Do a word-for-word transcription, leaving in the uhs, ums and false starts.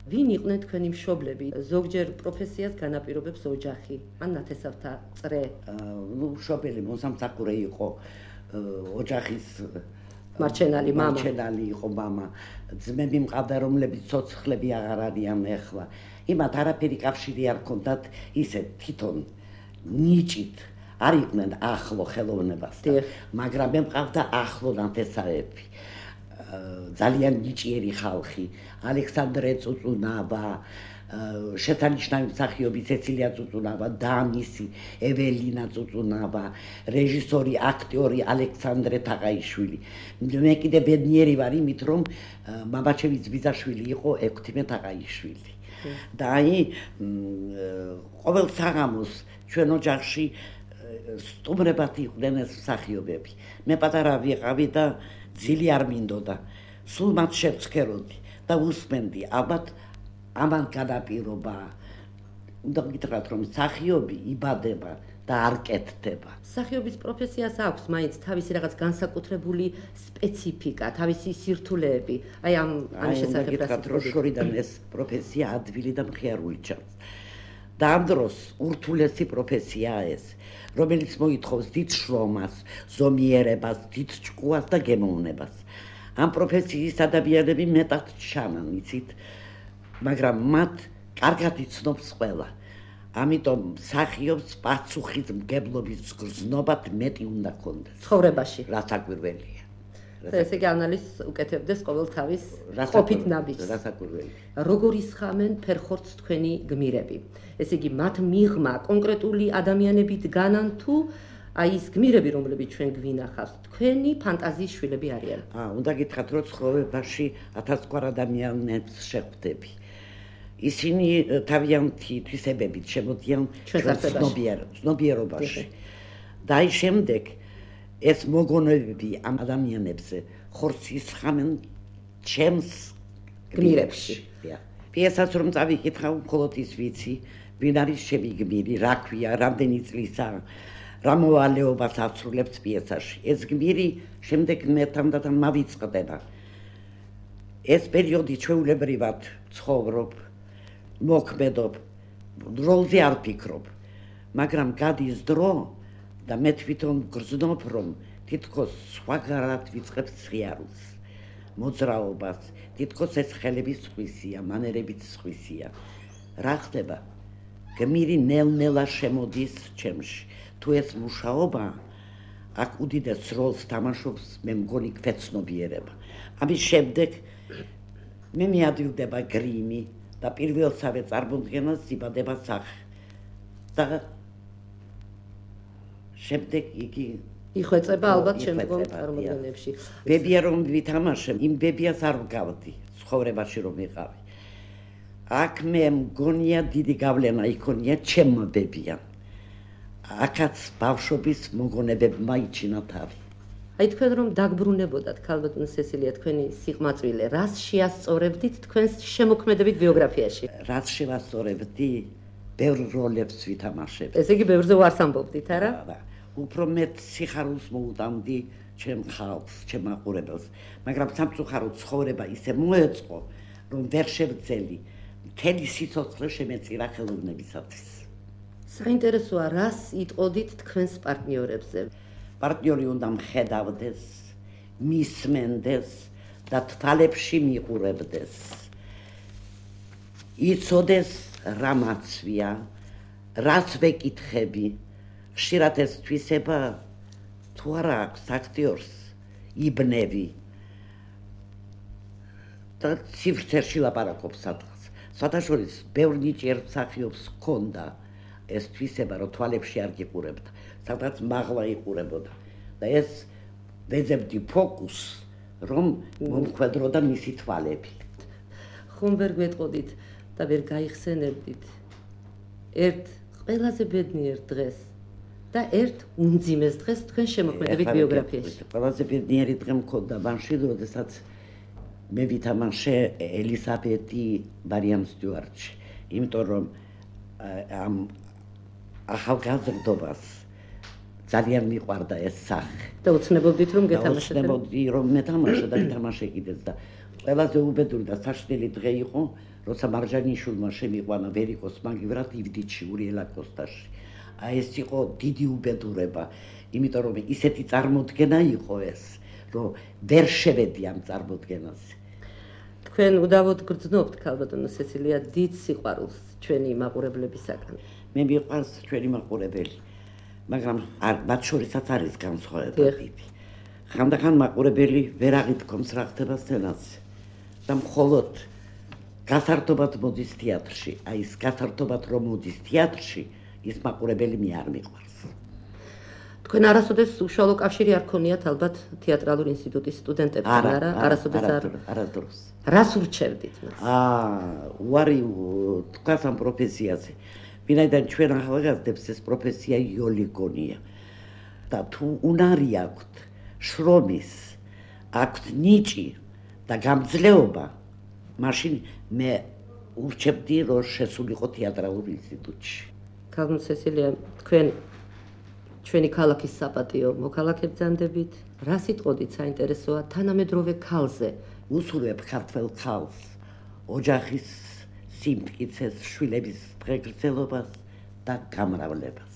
ვინ იყვნენ თქვენი მშობლები? ზოგჯერ პროფესიას განაპირობებს ოჯახი, ან ნათესავთა წრე. ნუ მშობელი მოსამსახურე იყო ოჯახის მარჩენალი მამა. მარჩენალი იყო მამა. ძმები მყავდა, რომლებიც ცოცხლები აღარ არიან ახლა. იმათ არაფერი კავშირი არ ჰქონდათ ისე თვითონ ნიჭით. არ იყვნენ ახლო ხელოვნებასთან, მაგრამ მე მყავდა ახლო ნათესავები. ძალიან ნიჭიერი ხალხი, ალექსანდრე წუწუნავა, შესანიშნავი მსახიობი ცეცილია წუწუნავა, და მისი ეველინა წუწუნავა, რეჟისორი, აქტიორი ალექსანდრე თაყაიშვილი. მე კიდე ბედნიერი ვარ იმით, რომ მამაჩემი ძბიზაშვილი იყო ექვთიმე თაყაიშვილი. და აი ყოველ საღამოს ჩვენ ოჯახში სტუმრებად იყვნენ ეს მსახიობები. მე პატარა ვიყავი და ძილი არ მინდოდა. სულ მათ შევცქეროდი და უსმენდი, ალბათ ამან განაპირობა. უნდა გითხრათ, რომ მსახიობი იბადება და არ კეთდება. მსახიობის პროფესიას აქვს მაინც თავისი რაღაც განსაკუთრებული სპეციფიკა, თავისი სირთულეები. აი ამ ამის შესახებ გითხრათ, რომ შორიდან ეს პროფესია ადვილი და მხიარული ჩანს. და ამ დროს ურთულესი პროფესიაა ეს, რომელიც მოითხოვს დიდ შრომას, ზომიერებას, დიდ ჭკუას და გემოვნებას. ამ პროფესიის ადამიანები მეტად ჩანან, იცით, მაგრამ მათ კარგად იცნობს ყველა. ამიტომ მსახიობს პასუხისმგებლობის გრძნობა მეტი უნდა ჰქონდეს ცხოვრებაში. რაც აკვირველია. ესე იგი ანალიზს უკეთებდეს ყოველთავის ყოფით ნაბიჯს. როგორ ისხამენ ფერხორცს თქვენი გმირები? ესე იგი მათ მიღმა კონკრეტული ადამიანები დგანან თუ აი ის გმირები, რომლებიც ჩვენ გვინახავს, თქვენი ფანტაზიის შვილები არიან? აა, უნდა გითხრათ, რომ ცხოვრებაში ათასგვარ ადამიანებს შეხვდები. ისინი თავიანთი თვისებებით შემოდიან ცნობიერობაში. და აი შემდეგ ეს მოგონებები ამ ადამიანებზე ხორცს ისხამენ ჩემს გმირებში. პიესას რომ წავიკითხავ, მხოლოდ ის ვიცი, ვინ არის ჩემი გმირი, რა ქვია, რამდენი წლისაა, რა მოვალეობას ასრულებს პიესაში. ეს გმირი შემდეგ მე თანდათან მავიწყდება. ეს პერიოდი ჩვეულებრივად ცხოვრობ, მოქმედობ, როლზე არ ფიქრობ, მაგრამ გადის დრო და მე თვითონ გრძნობ, რომ თითქოს სხვაგანად ვიწყებ სხიარულს, მოძრაობას, თითქოს ეს ხელების სხვისია, მანერებიც სხვისია. რა ხდება? გმირი ნელ-ნელა შემოდის ჩემში. თუ ეს მუშაობა, აქ უდიდეს როლს თამაშობს, მე მგონი გვეცნობიერება. ამის შემდეგ მე მიადვილდება გრიმი და პირველსავე წარმოდგენას იბადება სახე. და შემდეგ იგი იხვეწება ალბათ შემდგომ წარმოდგენებში. ბებია რომ ვითამაშებ, იმ ბებიას არ ვგავდი ცხოვრებაში რომ ვიყავი. აქ მე მგონია დიდი გავლენა იქონია ჩემმა ბებიამ. აქაც ბავშვობის მოგონებებმა იჩინა თავი. აი თქვენ რომ დაგბრუნებოდათ ქალბატონო სესილია თქვენი სიყმაწვილე, რას შეასწორებდით თქვენს შემოქმედებით ბიოგრაფიაში? რაც შევასწორებდი, ბევრ როლებს ვითამაშებ. ესე იგი ბევრზე ვარს ამბობდით, არა? უფრო მეტ სიხარულს მოუტანდი ჩემ ხალხს, ჩემ მაყურებელს, მაგრამ სამწუხაროდ ცხოვრება ისე მოეწყო, რომ ვერ შევძელი მთელი სიცოცხლე შემეწირა ხელოვნებისათვის. საინტერესოა, რას იტყოდით თქვენს პარტნიორებზე? პარტნიორი უნდა მხედავდეს, მისმენდეს და თვალებში მიყურებდეს. იცოდეს რა მაცვია, რაც ვეკითხები, ხშირად ეს თვისება თუ არა აქვს აქტიორს, იბნევი და ციფრში ლაპარაკობს სადღაც. საერთაშორის ბევრ ნიჭიერ მსახიობს ჰქონდა ეს თვისება, რომ თვალებში არ გიყურებდა, სადღაც მაღლა იყურებოდა და ეს ვეძებდი ფოკუსს, რომ მომხვედროდა მისი თვალები. ხომ ვერ გვეტყოდით და ვერ გაიხსენებდით ერთ ყველაზე ბედნიერ დღეს და ერთ უმძიმეს დღეს თქვენ შემოქმედებით ბიოგრაფიაში? ყველაზე ბედნიერი დღე მქონდა მაშინ, როდესაც მე ვითამაშე ელისაბედი მარიამ სტიუარტში, იმიტომ რომ ამ ახალგაზრდობას ძალიან მიყვარდა ეს სახე. და უცნებობდით რომ გეთამაშეთ? უცნებობდი რომ მეთამაშე და გითამაშე კიდეც და ყველაზე უბედური და საშნელი დღე იყო, როცა მარჯანიშვილმა შემიყვანა ვერიკოს მაგივრად ივდიჩი ურიელა კოსტაში. აი ეს იყო დიდი უბედურება, იმიტომ რომ ისეთი წარმოდგენა იყო ეს, რომ ვერ შევედი ამ წარმოდგენაზე. თქვენ უდავოდ გრძნობთ ქალბატონო სესილია დიდ სიყვარულს ჩვენი მაყურებლებისაგან. მე მიყვარს ჩვენი მაყურებელი, მაგრამ მათ შორისაც არის განსხვავება დიდი. ხანდახან მაყურებელი ვერ აღიდგომს რა ხდება სცენაზე და მხოლოდ გასართობად მოდის თეატრში, აი ეს გასართობად რომ მოდის თეატრში, ის მაყურებელი მე არ მიყვარს. თქვენ არასოდეს უშუალო კავშირი არ ქონიათ ალბათ თეატრალური ინსტიტუტის სტუდენტებთან, არა? არასოდეს არ. არასდროს. რას ურჩევდით მას? აა, უარი თქვას ამ პროფესიაზე. ვინაიდან ჩვენ ახალგაზრდებს ეს პროფესია იოლიგონია. და თუ უნარი აქვთ, შრომის, აქვთ ნიჭი და გამძლეობა, მაშინ მე ურჩევდი რომ შესულიყო თეატრალურ ინსტიტუტში. ქალბატონო სესილია, თქვენ ჩვენი ქალაქის საპატიო მოქალაქე ბრძანდებით, რა სიტყოდით საინტერესოა თანამედროვე ქალზე? უსურვებ ქართველ ქალს, ოჯახის სიმტკიცეს, შვილების დღეგრძელობას და გამრავლებას.